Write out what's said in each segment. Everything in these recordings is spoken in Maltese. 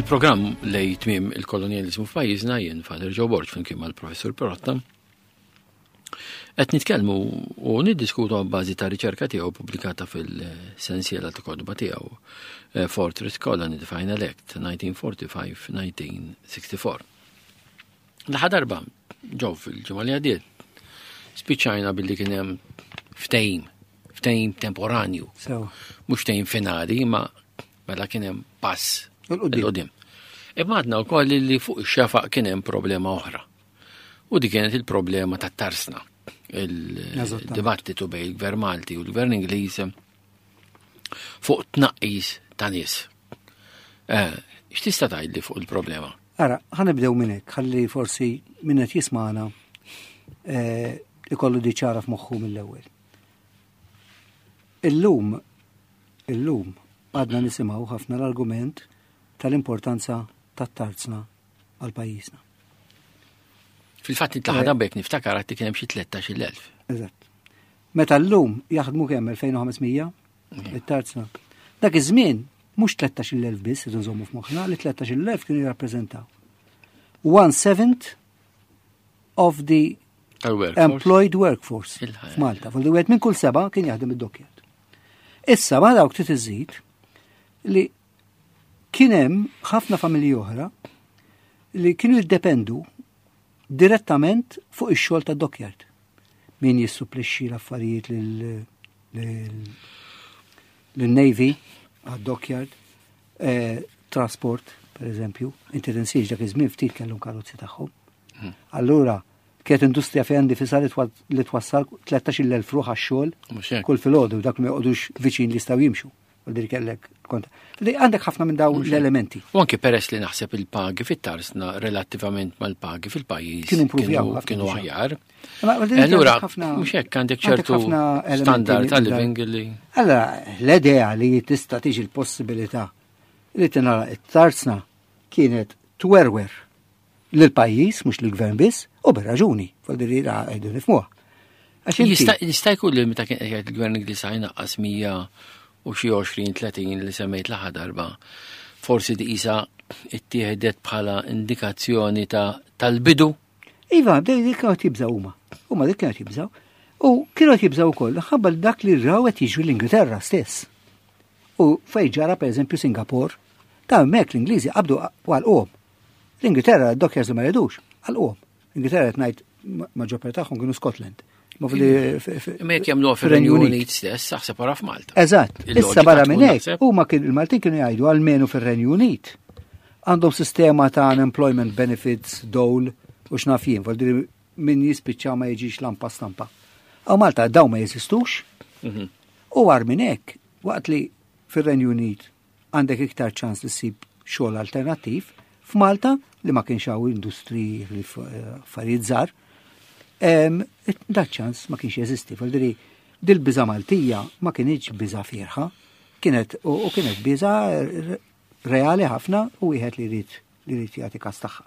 Il-programm lej tmiem il-kolonjalizmu f'pajjiżna jien Father Joe Borg flimkien mal-Professur Perotta. Qed nitkellmu u niddiskutu bażi ta' riċerka tiegħu pubblikata fil-sensiela ta' kotba tiegħu eh, Fortress Colony the Final Act 1945-1964. L-aħħar darba ġew fil-ġimgħa li għaddiet spiċċajna billi kien hemm ftehim, ftehim temporanju. Mhux ftehim finali, ma mela kien hemm pass il-qudiem. Imma għadna wkoll li fuq ix-xefaq kien hemm problema oħra. U di kienet il-problema tat-tarsna. Il-dibattitu bejn il-Gvern Malti u l-Gvern Ingliż fuq tnaqqis ta' nies. Eh, x'tista' tgħidli fuq il-problema? Ara, ħanibdew minn hekk, ħalli forsi min qed jismagħna eh, ikollu di ċara f'moħħu mill-ewwel. Illum, illum għadna nisimgħu ħafna l-argument tal-importanza tat-tarzna għal pajjiżna. Fil-fatt intlaħa eh. bek niftakar għatti kien hemm xi 13,000. Eżatt. Meta llum jaħdmu kemm 2500 it-tarzna. Dak iż-żmien mhux 13,000 biss idu nżommu f'moħħna li 13,000 kienu jirrappreżentaw. One seventh of the employed workforce f'Malta. Fulli wieħed minn kull seba' kien jaħdem id-dockyard. Issa ma dawk trid iżid li kien hemm ħafna familji oħra li kienu jiddependu direttament fuq ix-xogħol ta' dockyard. Min jissupplixxi l-affarijiet lil-Navy għad-dockyard, eh, trasport, per eżempju, inti tinsiex dak iż-żmien ftit kellhom karozzi tagħhom. Hmm. Allura, kienet industrija fejn difisa li twassal 13,000 ruħ għax-xogħol kull filgħodu dak ma joqogħdux viċin li jistgħu jimxu. U dir kellek kont. Li għandek ħafna minn dawn l-elementi. U anke peress li naħseb il-pagi fit-tarsna relattivament mal-pagi fil-pajjiż. Kienu improvjaw kienu aħjar. Allura, mhux hekk għandek ċertu standard ta' living li. Allora, l-idea li tista' tiġi l-possibilità li tinara it-tarsna kienet twerwer lill-pajjiż, mhux lill-gvern biss, u bir-raġuni, fol-diri għajdu nifmuha. Jista' jkun li meta kien qed il-gvern Ingliż jnaqqas 100 u xi 20 30 li semmejt l-aħħar darba, forsi di qisha ittieħdet bħala indikazzjoni ta' tal-bidu. Iva, dik kienu qed jibżgħu huma. Huma dik kienu qed jibżgħu. U kienu qed jibżgħu wkoll ħabba dak li raw qed jiġri l-Ingilterra stess. U fejn ġara pereżempju Singapore, ta' hemmhekk l-Ingliżi qabdu għalquhom. L-Ingilterra d-dockyards li ma jridux, għalquhom. L-Ingilterra qed ngħid maġġor parti tagħhom kienu Scotland. Ma jekk jagħmluha fir-Renju Unit stess, aħseb wara f'Malta. Eżatt. Issa barra minn hekk, huma kien il-Maltin kienu jgħidu almenu fir-Renju Unit. Għandhom sistema ta' unemployment benefits, dole u x'naf jien, vol min jispiċċa ma jiġix lampa stampa. Għaw Malta daw ma jeżistux. Mhm. U għar minn hekk, waqt li fir-Renju Unit għandek iktar ċans li ssib xogħol alternattiv, f'Malta li ma kienx hawn industri li eh, affarijiet żgħar, dak ċans ma kienx jeżisti. Faldiri, dil-biża Maltija ma kienx biża fierħa, kienet u kienet biża reali ħafna u wieħed li jrid li jrid jagħti każ tagħha.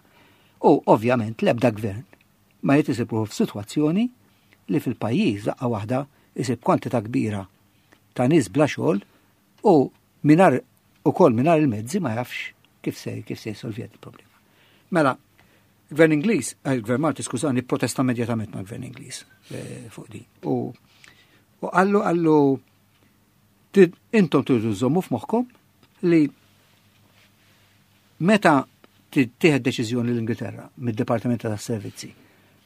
U ovvjament l-ebda gvern ma jrid isib f'sitwazzjoni li fil-pajjiż daqqa waħda isib kwantità kbira ta' nies bla xogħol U mingħajr ukoll mingħajr il-mezzi ma jafx kif se kif se jsolvi il-problema. Mela, il-Gvern Ingliż, eh, il-Gvern Malti, skużani, protesta immedjatament mal-Gvern Ingliż eh, fuq di. U u qallu qallu intom tridu żommu f'moħħkom li meta tieħed deċiżjoni l-Ingilterra mid-Dipartiment tas-Servizzi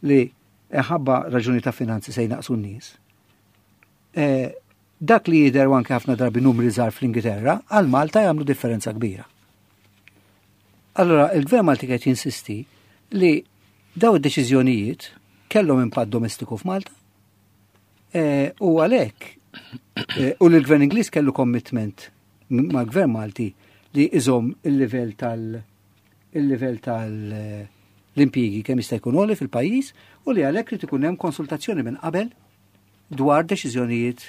li ħabba raġuni ta' finanzi se jnaqsu n-nies, eh, Dak li jidher u anke ħafna drabi numri żgħar fl-Ingilterra, għal Malta jagħmlu differenza kbira. Allora, il-Gvern Malti qed jinsisti li daw id-deċiżjonijiet kellhom impatt domestiku f'Malta e, u għalhekk e, u li l-Gvern Ingliż kellu commitment mal-Gvern Malti li iżomm il-livell tal- il-livell tal l-impjiegi kemm jista' jkun għoli fil-pajjiż u li għalhekk li ikun hemm konsultazzjoni minn qabel dwar deċiżjonijiet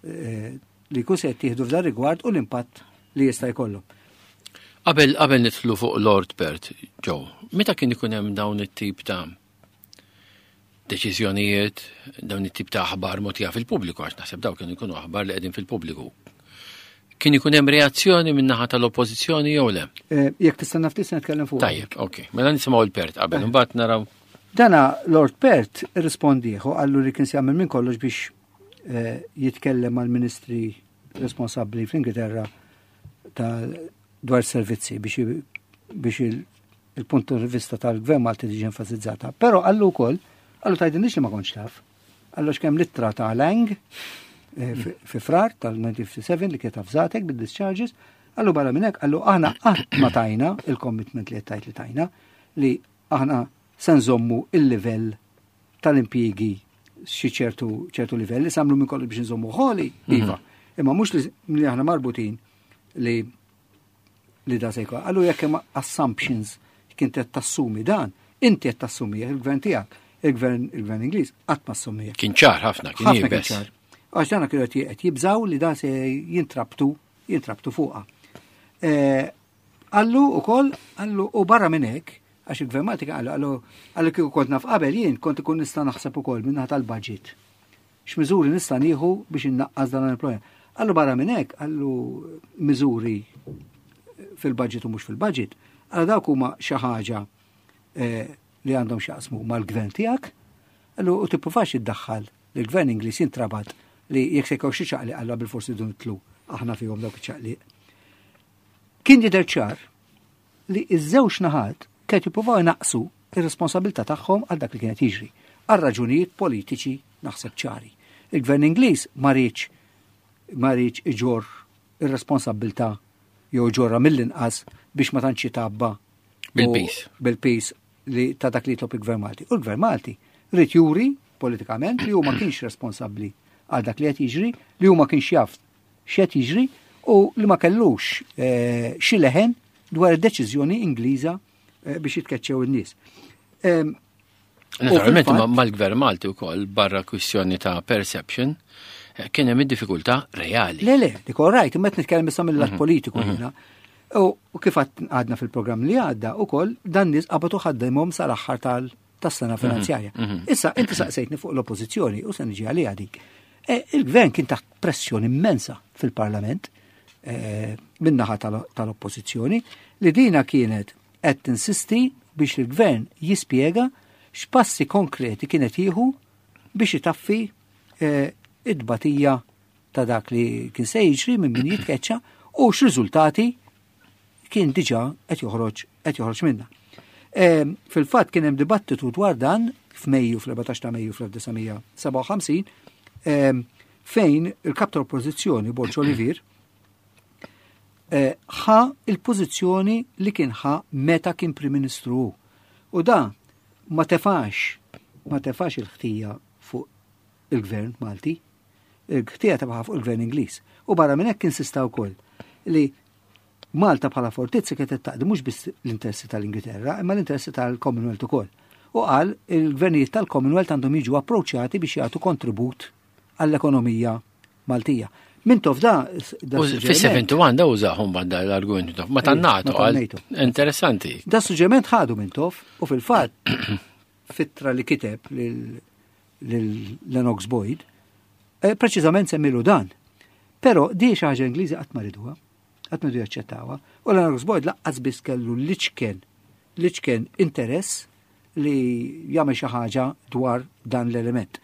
eh, li jkun se jittieħdu f'dan rigward u l-impatt li jista' jkollhom. Qabel qabel nidħlu fuq Lord Pert, Joe, meta kien ikun hemm dawn it-tip ta' deċiżjonijiet, dawn it-tip ta' aħbar mogħtija fil-pubbliku, għax naħseb dawn kienu jkunu aħbar li qegħdin fil-pubbliku. Kien ikun hemm reazzjoni min-naħa tal-Oppożizzjoni jew le? Eh, jekk tistenna ftit se nitkellem fuq. Tajjeb, ok. Mela nisimgħu l-Pert qabel, eh. imbagħad naraw. Dana Lord Pert irrispondieħu qallu li kien se jagħmel minn kollox biex eh, jitkellem mal-ministri responsabbli fl-Ingilterra ta' dwar servizzi biex biex il-punt di vista tal-gvern Malti tiġi enfasizzata. Però qallu wkoll, qallu tgħidilniex li ma kontx taf. Qallu x'kemm littra ta' Lang eh, fi frar tal-1957 li kienet avżatek bid-discharges, qallu barra minn hekk, qallu aħna qatt ma tajna il-commitment li qed li tajna li aħna se nżommu il-livell tal-impjiegi xi ċertu ċertu livell li samlu minn kollu biex nżommu ħoli, mhm. iva. Imma mhux li aħna marbutin li li da se jkun. Allu jekk hemm assumptions kien qed tassumi dan, inti qed tassumi il-gvern tiegħek, il-gvern il-gvern Ingliż qatt ma assumih. Kien ċar ħafna, kien ħafna ċar. Għax dana kienu qed jibżaw li da se jintrabtu jintrabtu fuqha. Eh, Qallu ukoll, qallu u barra minn hekk, għax il-Gvern Malti kien qallu, qallu qallu kieku kont naf qabel jien kont ikun nista' naħseb ukoll min-naħa tal-budget. X'miżuri nista' nieħu biex innaqqas dan il-problema. Qallu barra minn hekk, qallu miżuri fil-budget u mhux fil-budget, qallu dawk huma xi ħaġa eh, li għandhom x'jaqsmu mal-gvern tiegħek, qallu u tippruvax iddaħħal li l-gvern Ingliż jintrabat li jekk se jkun xi ċaqliq qallu bil-forsi dun itlu aħna fihom dawk iċ-ċaqliq. Kien jidher ċar li ż-żewġ naħat kienet jippruvaw inaqqsu ir-responsabilità tagħhom għal dak li kienet jiġri, għal raġunijiet politiċi naħseb ċari. Il-Gvern Ingliż ma riedx ma riedx iġorr ir-responsabilità jew ġorra mill-inqas biex ma tantx jitabba bil-pis. Bil-pis li ta' dak li jitlob il-Gvern Malti. U l-Gvern Malti rrid juri politikament li hu ma kienx responsabbli għal dak li qed jiġri, li hu ma kienx jaf x'qed jiġri u li ma kellux eh, xi leħen dwar id-deċiżjoni Ingliża eh, biex jitkeċċew in-nies. Ehm, Naturalment mal-gvern Malti wkoll barra kwistjoni ta' perception eh, kien hemm id-diffikultà reali. Le, le, dik all right, imma qed nitkellem issa mill-lat mhm. politiku mhm. jiena. U kif għadna fil-programm li għadda ukoll dan nies qabatu ħaddimhom sal-aħħar tal tas-sena mhm, finanzjarja. Issa inti saqsejtni fuq l-oppożizzjoni u se niġi għaliha dik. E, il-gvern kien taħt pressjoni immensa fil-parlament e, min-naħa tal-oppożizzjoni li dina kienet qed tinsisti biex il-gvern jispjega x'passi konkreti kienet jieħu biex itaffi e, id-batija ta' dak li kien se jiġri minn min jitkeċċa u x'riżultati kien diġà qed joħroġ qed joħroġ minnha. Ehm, fil-fatt kien hemm dibattitu dwar dan f'Mejju fl-14 ta' Mejju fl-1957 ehm, fejn il-kap tal-oppożizzjoni Borġ Olivier eh, ħa il-pożizzjoni li kien ħa meta kien Prim Ministru hu. U da ma tefax ma tefax il-ħtija fuq il-gvern Malti, il-ħtija tefaħa fuq il-gvern Ingliż. U barra minn hekk insista wkoll li Malta bħala fortizza kienet qed taqdi mhux biss l-interessi tal-Ingilterra, imma l-interessi tal-Commonwealth ukoll. U qal il-gvernijiet tal-Commonwealth għandhom jiġu approċċjati biex jagħtu kontribut għall-ekonomija Maltija. Mintoff da. Fis-71 da użahom banda l-argument Mintoff. Ma tan-NATO. Interessanti. Da suġġeriment ħadu Mintoff u fil-fatt fittra li kiteb lil Lennox Boyd, eh, preċiżament semmilu dan. Però di xi ħaġa Ingliżi qatt ma riduha, qatt ma ridu jaċċettawha. U Lennox Boyd laqqas biss kellu l-iċken l-iċken interess li jagħmel xi ħaġa dwar dan l-element.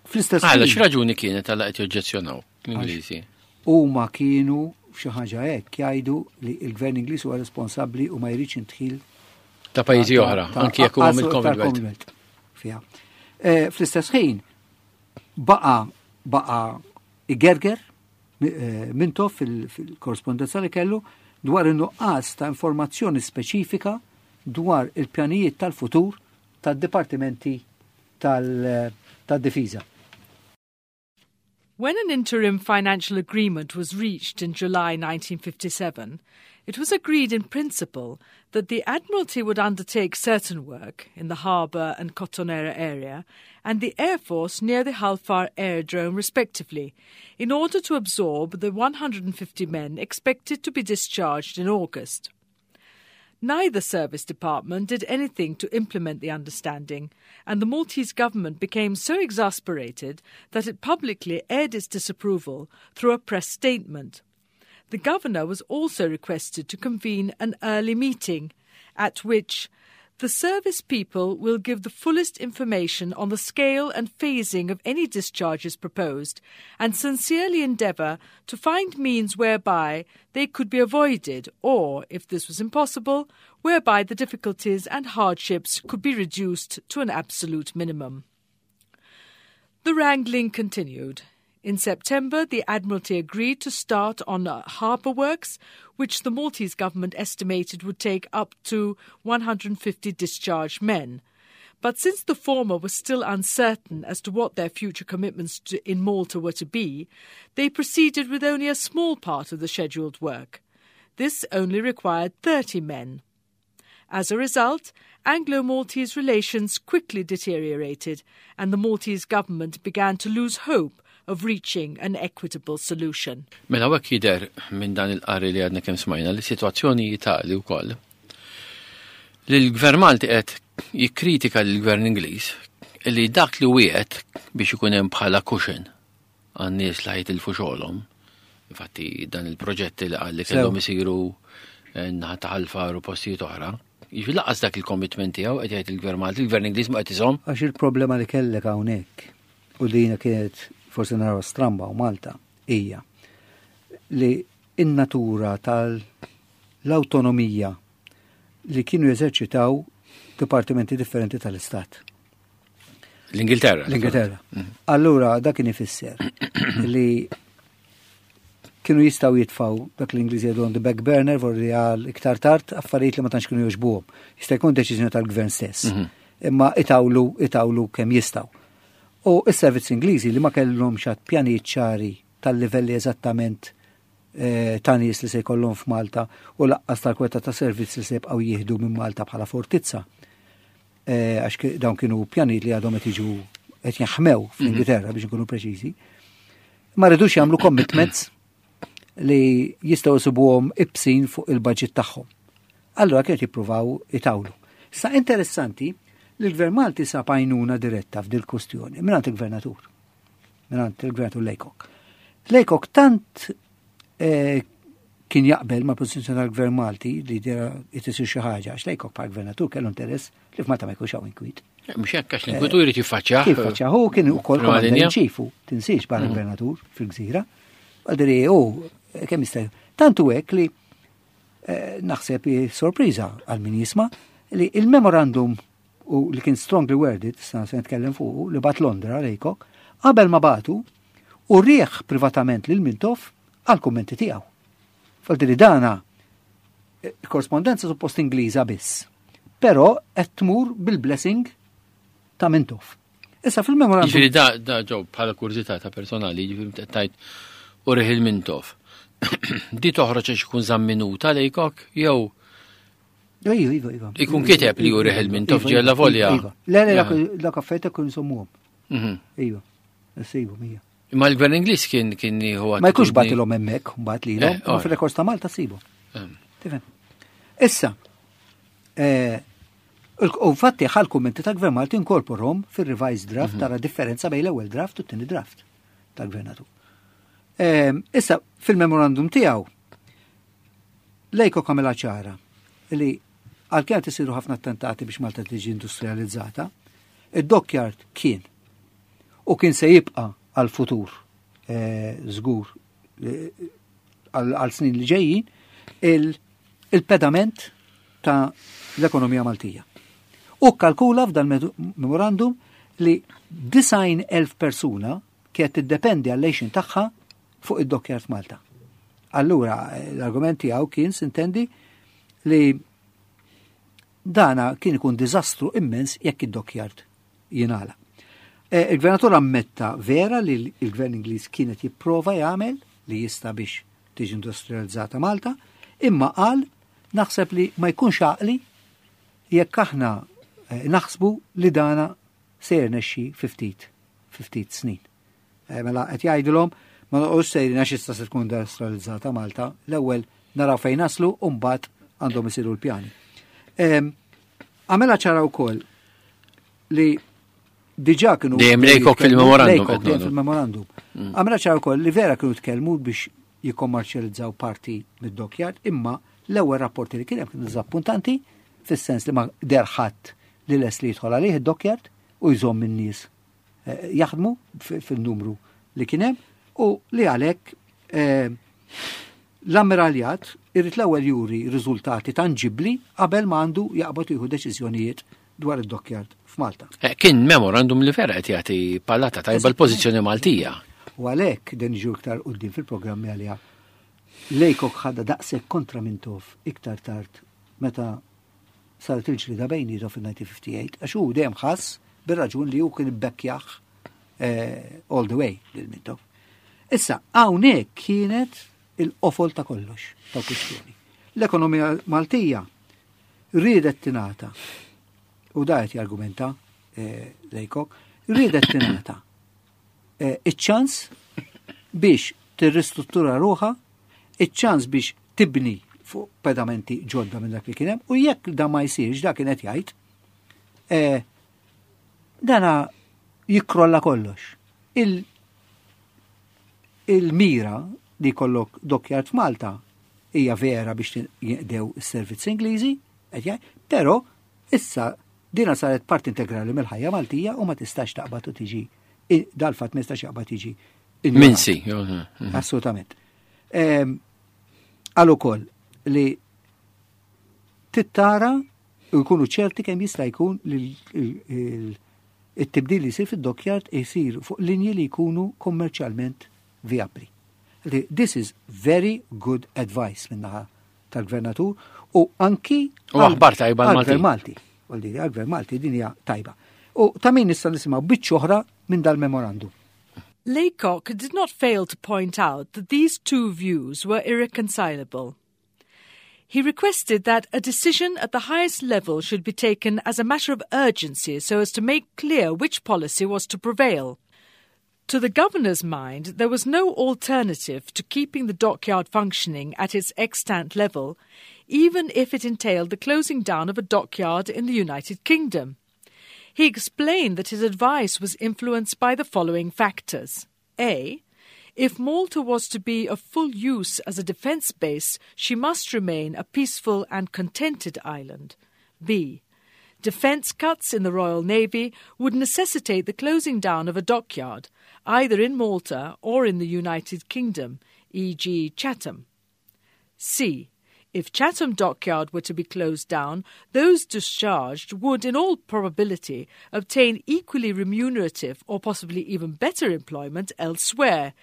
Fl-istess Għala x'raġuni kienet għala qed joġġezzjonaw l-Ingliżi? Huma kienu xi ħaġa hekk jgħidu li l-gvern Ingliż huwa responsabbli u ma jridx intħil ta' pajjiżi oħra, anki jekk huma mill-Commonwealth. Fiha. Eh, fl-istess ħin baqa baqa igerger eh, Mintoff fil-korrespondenza li kellu dwar in-nuqqas ta' informazzjoni speċifika dwar il-pjanijiet tal-futur tad-dipartimenti tal-difiża. When an interim financial agreement was reached in July 1957, it was agreed in principle that the Admiralty would undertake certain work in the harbour and Cottonera area and the Air Force near the Halfar Aerodrome, respectively, in order to absorb the 150 men expected to be discharged in August. Neither service department did anything to implement the understanding, and the Maltese government became so exasperated that it publicly aired its disapproval through a press statement. The governor was also requested to convene an early meeting, at which the service people will give the fullest information on the scale and phasing of any discharges proposed and sincerely endeavour to find means whereby they could be avoided or, if this was impossible, whereby the difficulties and hardships could be reduced to an absolute minimum. The wrangling continued. In September, the Admiralty agreed to start on harbour works, which the Maltese government estimated would take up to 150 discharged men. But since the former was still uncertain as to what their future commitments to, in Malta were to be, they proceeded with only a small part of the scheduled work. This only required 30 men. As a result, Anglo-Maltese relations quickly deteriorated and the Maltese government began to lose hope of reaching an equitable solution. Mela hekk jidher minn dan il-qari li għadna kemm smajna li sitwazzjoni tali wkoll li l-Gvern Malti qed jikkritika lill-Gvern Ingliż li dak li wiegħed biex ikun hemm bħala cushion għan-nies li ħajtilfu xogħolhom. Infatti dan il-proġetti li qal li kellhom isiru eh, naħa ta' Ħal u postijiet oħra. Jiġifieri laqas dak il-commitment tiegħu qed jgħid il-Gvern Malti, il-Gvern Ingliż ma qed iżomm. Għax il-problema li kellek hawnhekk u dina kienet forsi naraw stramba u Malta hija li in-natura tal-awtonomija li kienu jeżerċitaw dipartimenti differenti tal-Istat. L-Ingilterra. L-Ingilterra. Mm. Allura dak kien ifisser li kienu jistaw jitfaw dak l-Ingliżi jgħidu on the back burner vorri għal iktar tard affarijiet li ma tantx kienu jogħġbuhom. Jista' jkun deċiżjoni tal-gvern stess. Mhm. Imma itawlu itawlu kemm jistgħu. U s-servizz Ingliżi li ma kellhomx għad pjanijiet ċari tal-livelli eżattament eh, ta' nies li se jkollhom f'Malta u laqqas tal-kweta ta' servizz li se jibqgħu jieħdu minn Malta bħala fortizza. Eh, għax dawn kienu pjanijiet li għadhom qed jiġu qed jaħmew mhm. fl-Ingilterra biex nkunu preċiżi. Ma rridux jagħmlu commitments li jistgħu jsibuhom ibsin fuq il-budget tagħhom. Allura kienet jippruvaw itawlu. Sa interessanti li l-Gvern Malti sab għajnuna diretta f'dil kustjoni mingħand il-Gvernatur. Mingħand il-Gvernatur Lejkok. Lejkok tant eh, kien jaqbel ma' pożizzjoni tal-Gvern Malti li dera jtisir xi ħaġa għax Lejkok bħal gvernatur kellu interess li f'Malta ma jkunx hawn inkwiet. Mhux hekk għax l-inkwitu jrid jiffaċċjah. Jiffaċċjah hu kien ukoll commander in chief tinsiex bħala mm. gvernatur fil-gżira. Għadri hu kemm jista' Tantu hekk li eh, naħseb sorpriża għal min jisma' li il-memorandum u li kien strongly worded, sa se nitkellem fuq, li bat Londra lejkok, qabel ma batu, u rieħ privatament lil Mintoff għal kummenti tiegħu. Falti li dana eh, korrespondenza suppost Ingliża biss. Però qed tmur bil-blessing ta' Mintoff. Issa fil-memorandum. Ġifieri da, da ġew bħala kurżità ta' personali, ġifieri tajt u riħ il-Mintoff. Di toħroġ għax ikun żamm minuta lejkok jew Iva, iva, iva. Ikun kiteb li juri il-Mintoff iva, ġella volja. Iva. Le, le, dak affarijiet ikun insommuhom. Mhm. Iva, issibu mija. Imma l-gvern Ingliż kien kien jieħu Ma jkunx batilhom hemmhekk, mbagħad lilhom, eh, ma fil-rekors ta' Malta sibu. Ehm. Tifhem. Issa, eh, u fatti ħal kummenti ta' gvern Malti inkorporhom fir-revised draft mhm. tara differenza bejn l-ewwel draft u t-tieni draft tal-gvernatur. Ehm, issa, fil-memorandum tiegħu, Lejko kamela ċara li għalkemm qed isiru ħafna attentati biex Malta tiġi industrializzata, id-dockyard kien u kien se jibqa' għal-futur eh, żgur eh, għal snin li ġejjin il-pedament ta' l-ekonomija Maltija. U kalkula f'dan memorandum li 90,000 persuna kienet tiddependi għall-għejxin tagħha fuq id-dockyard Malta. Allura, l-argument tiegħu kien sintendi li dana kien ikun diżastru immens jekk id-dockyard jingħala. E, il-gvernatur ammetta vera li l-gvern Ingliż kienet jipprova jagħmel li jista' biex tiġi industrializzata Malta, imma qal naħseb li ma jkunx għaqli jekk aħna e, naħsbu li dana se jirnexxi fi ftit fi ftit snin. Eh, mela qed jgħidilhom ma noqgħodx sejrin għax issa se tkun industrializzata Malta, l-ewwel naraw fejn naslu u mbagħad għandhom isiru l-pjani. Għamela ċara wkoll li diġà kienu. Dejjem Lejkok fil-memorandum. Dejjem fil-memorandum. Mm. Għamela ċara wkoll li vera kienu tkellmu biex jikkommerċjalizzaw parti mid-dockyard, imma l-ewwel rapporti li kien hemm kienu diżappuntanti fis-sens li ma derħadd li les li jidħol għalih id-dockyard u jżomm in-nies eh, jaħdmu fil-numru li kien hemm u li għalhekk eh, l-ammiraljat irid l-ewwel juri riżultati tanġibbli qabel ma għandu jaqbad jieħu deċiżjonijiet dwar id-dockyard f'Malta. Eh, kien memorandum li vera qed jagħti palata tajba l-pożizzjoni Maltija. U għalhekk din ġu iktar quddiem fil-programmi għaliha Lejkok ħadha daqshekk kontra Mintoff iktar tard meta saret il-ġlida bejnietom fil-1958 għax hu dejjem ħass bir-raġun li hu kien ibbekkjah eh, all the way lil Mintoff. Issa, hawnhekk kienet il-qofol ta' kollox ta' kwistjoni. L-ekonomija Maltija riedet tingħata u da qed jargumenta eh, Lejkok, riedet tingħata eh, iċ-ċans biex tirristruttura ruħha, iċ-ċans biex tibni fuq pedamenti ġodda minn dak li kien hemm u jekk da ma jsirx dak kien qed jgħid eh, dana jikkrolla kollox. Il-mira li jkollok dockyard f'Malta hija vera biex jinqdew is-servizzi Ingliżi, però issa dina saret parti integrali mill-ħajja Maltija u ma tistax taqbad u tiġi dal-fatt ma jistax jaqbad jiġi. Minsi. Assolutament. Għal ukoll li tittara u jkunu ċerti kemm jista' jkun li it-tibdil li jsir fid-dockyard jsir fuq linji li jkunu kommerċjalment vijabbli. This is very good advice minnaħa tal-gvernatur u anki u aħbar tajba għal-gvern Malti. Għal-gvern Malti din hija tajba. U ta' min nista' nisimgħu biċċa oħra minn dal-memorandum. Laycock did not fail to point out that these two views were irreconcilable. He requested that a decision at the highest level should be taken as a matter of urgency so as to make clear which policy was to prevail. To the governor's mind, there was no alternative to keeping the dockyard functioning at its extant level, even if it entailed the closing down of a dockyard in the United Kingdom. He explained that his advice was influenced by the following factors. A. If Malta was to be of full use as a defence base, she must remain a peaceful and contented island. B. Defence cuts in the Royal Navy would necessitate the closing down of a dockyard, either in Malta or in the United Kingdom, e.g., Chatham. C. If Chatham Dockyard were to be closed down, those discharged would, in all probability, obtain equally remunerative or possibly even better employment elsewhere.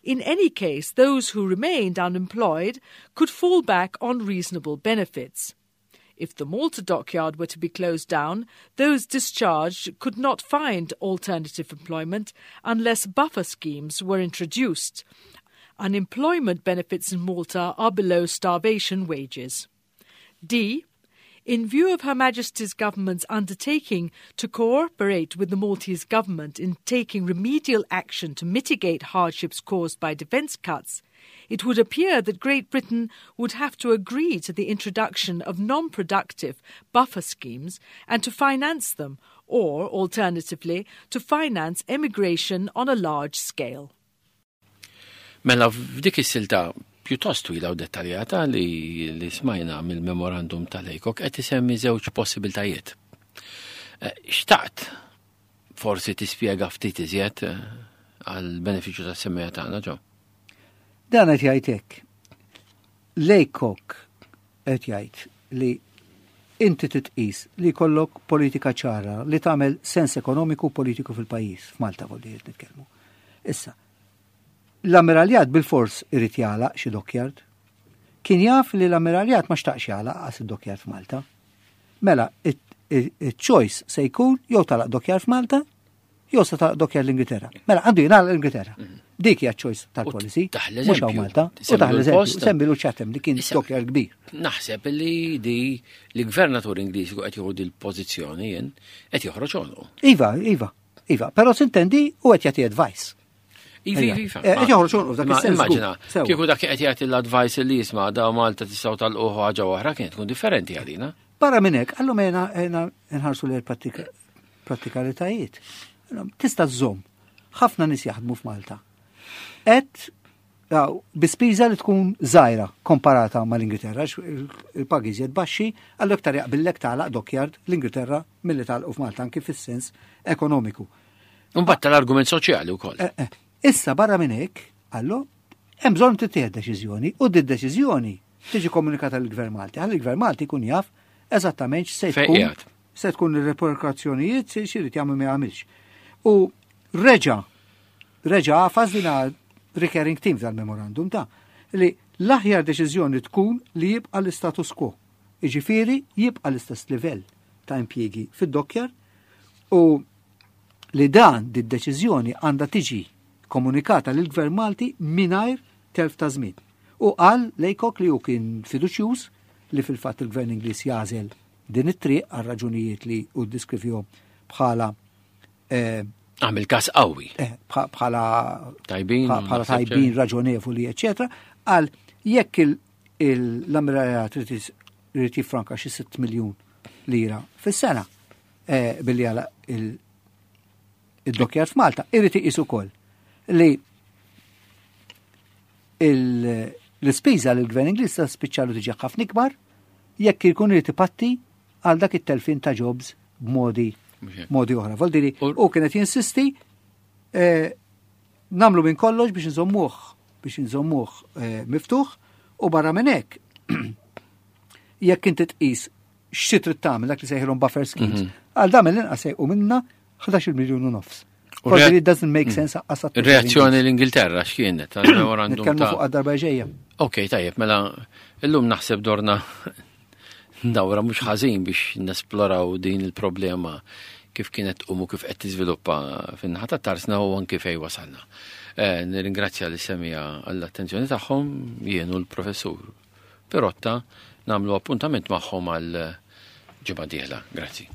In any case, those who remained unemployed could fall back on reasonable benefits. If the Malta dockyard were to be closed down, those discharged could not find alternative employment unless buffer schemes were introduced. Unemployment benefits in Malta are below starvation wages. D. In view of Her Majesty's government's undertaking to cooperate with the Maltese government in taking remedial action to mitigate hardships caused by defence cuts, it would appear that Great Britain would have to agree to the introduction of non productive buffer schemes and to finance them, or, alternatively, to finance emigration on a large scale. Mela f'dik is-silta pjuttost twila u dettaljata li, li smajna mill-memorandum tal-Laycock qed isemmi żewġ possibiltajiet. Eh, xtaqt forsi tispjega ftit iżjed eh, għal benefiċċju tas-semmija tagħna ġo. Dan qed jgħid hekk. Laycock qed jgħid li inti titqis li jkollok politika ċara li tagħmel sens ekonomiku u politiku fil-pajjiż, f'Malta volli nitkellmu. Issa, l-ammiraljat bil-fors irid jagħlaq xi dockyard. Kien jaf li l-ammiraljat ma xtaqx jagħlaq qas id-dockyard f'Malta. Mela, il-choice se jkun jew tagħlaq dockyard f'Malta, jew se tagħlaq dockyard l-Ingilterra. Mela, għandu jingħalaq l-Ingilterra. Mhm. Dik hija choice tal-policy. Mhux hawn Malta. U taħ l-eżempju, semmilu Chatham li kien dockyard kbir. Naħseb li di li gvernatur Ingliż qed jieħu dil-pożizzjoni jien qed joħroġ għonqu. Iva, iva, iva, però sintendi u qed jagħti advice. Iva, iva, iva. Eh, qed joħroġ għonqu f'dak is-sens. Immaġina, kieku dak qed jagħti l-advice li jisma' da Malta tistgħu tal ħaġa oħra kien tkun differenti għalina. Barra minn hekk, għallhom ejna nħarsu lejn prattikalitajiet. Tista' żżomm. Ħafna nies jaħdmu f'Malta. Et bi spiża li tkun żgħira komparata mal-Ingilterra, il-pagi iżjed baxxi, għallu iktar jaqbillek tagħlaq dockyard l-Ingilterra milli tagħlqu f'Malta anki fis-sens ekonomiku. Mbagħad tal-argument soċjali wkoll. Eh, eh. Issa barra minn hekk, għallu, hemm bżonn tittieħed deċiżjoni u di deċiżjoni tiġi komunikata lill-Gvern Malti. Ħalli l-Gvern Malti jkun jaf eżattament x'se tkun se tkun ir-reperkussjonijiet se x'irid jagħmel ma jagħmilx. U reġa' reġa' għafas din recurring team tal-memorandum ta' li l-aħjar deċiżjoni tkun li jibqa' l-istatus quo. Iġifieri jibqa' l-istess livell ta' impjiegi fid-dockyard u li dan di deċiżjoni għandha tiġi komunikata lill-Gvern Malti mingħajr telf ta' żmien. U qal Laycock li hu kien fiduċjuż li fil-fatt il-Gvern Ingliż jagħżel din it-triq għal raġunijiet li hu ddiskrivihom bħala eh, Għamil kas qawwi. Eh, bħala tajbin, bħala tajbin, raġonevoli, eċetera, għal jekk l-ammiraljat irid jiffranka xi 6 miljun lira fis-sena eh, billi għala id-dockyard f'Malta, irid iqis ukoll li l-ispiża li l-gvern Ingliż ta' spiċċalu tiġi ħafna ikbar jekk ikun irid ipatti għal dak it-telfin ta' jobs b'modi modi oħra. Voldiri, u kienet jinsisti eh, namlu minn kollox biex nżommuh biex nżommuh eh, miftuħ u barra minn hekk jekk inti tqis xi trid tagħmel dak li sejħilhom buffer schemes, mhm. għal dan mill-inqas sejqu minna 11 miljun u nofs. Forsi it doesn't make mm. sense għasat. Reazzjoni l-Ingilterra x'kienet għal-memorandum ta' fuq darba ġejja. Ok, tajjeb, mela illum naħseb dorna dawra mhux ħażin biex nesploraw din il-problema kif kienet tqum u kif qed tiżviluppa fin-naħa ta' tarsna u anki fejn wasalna. Eh, nirringrazzja li semija għall-attenzjoni tagħhom jien u l-professur Pirotta nagħmlu appuntament magħhom għal ġimgħa dieħla. Grazzi.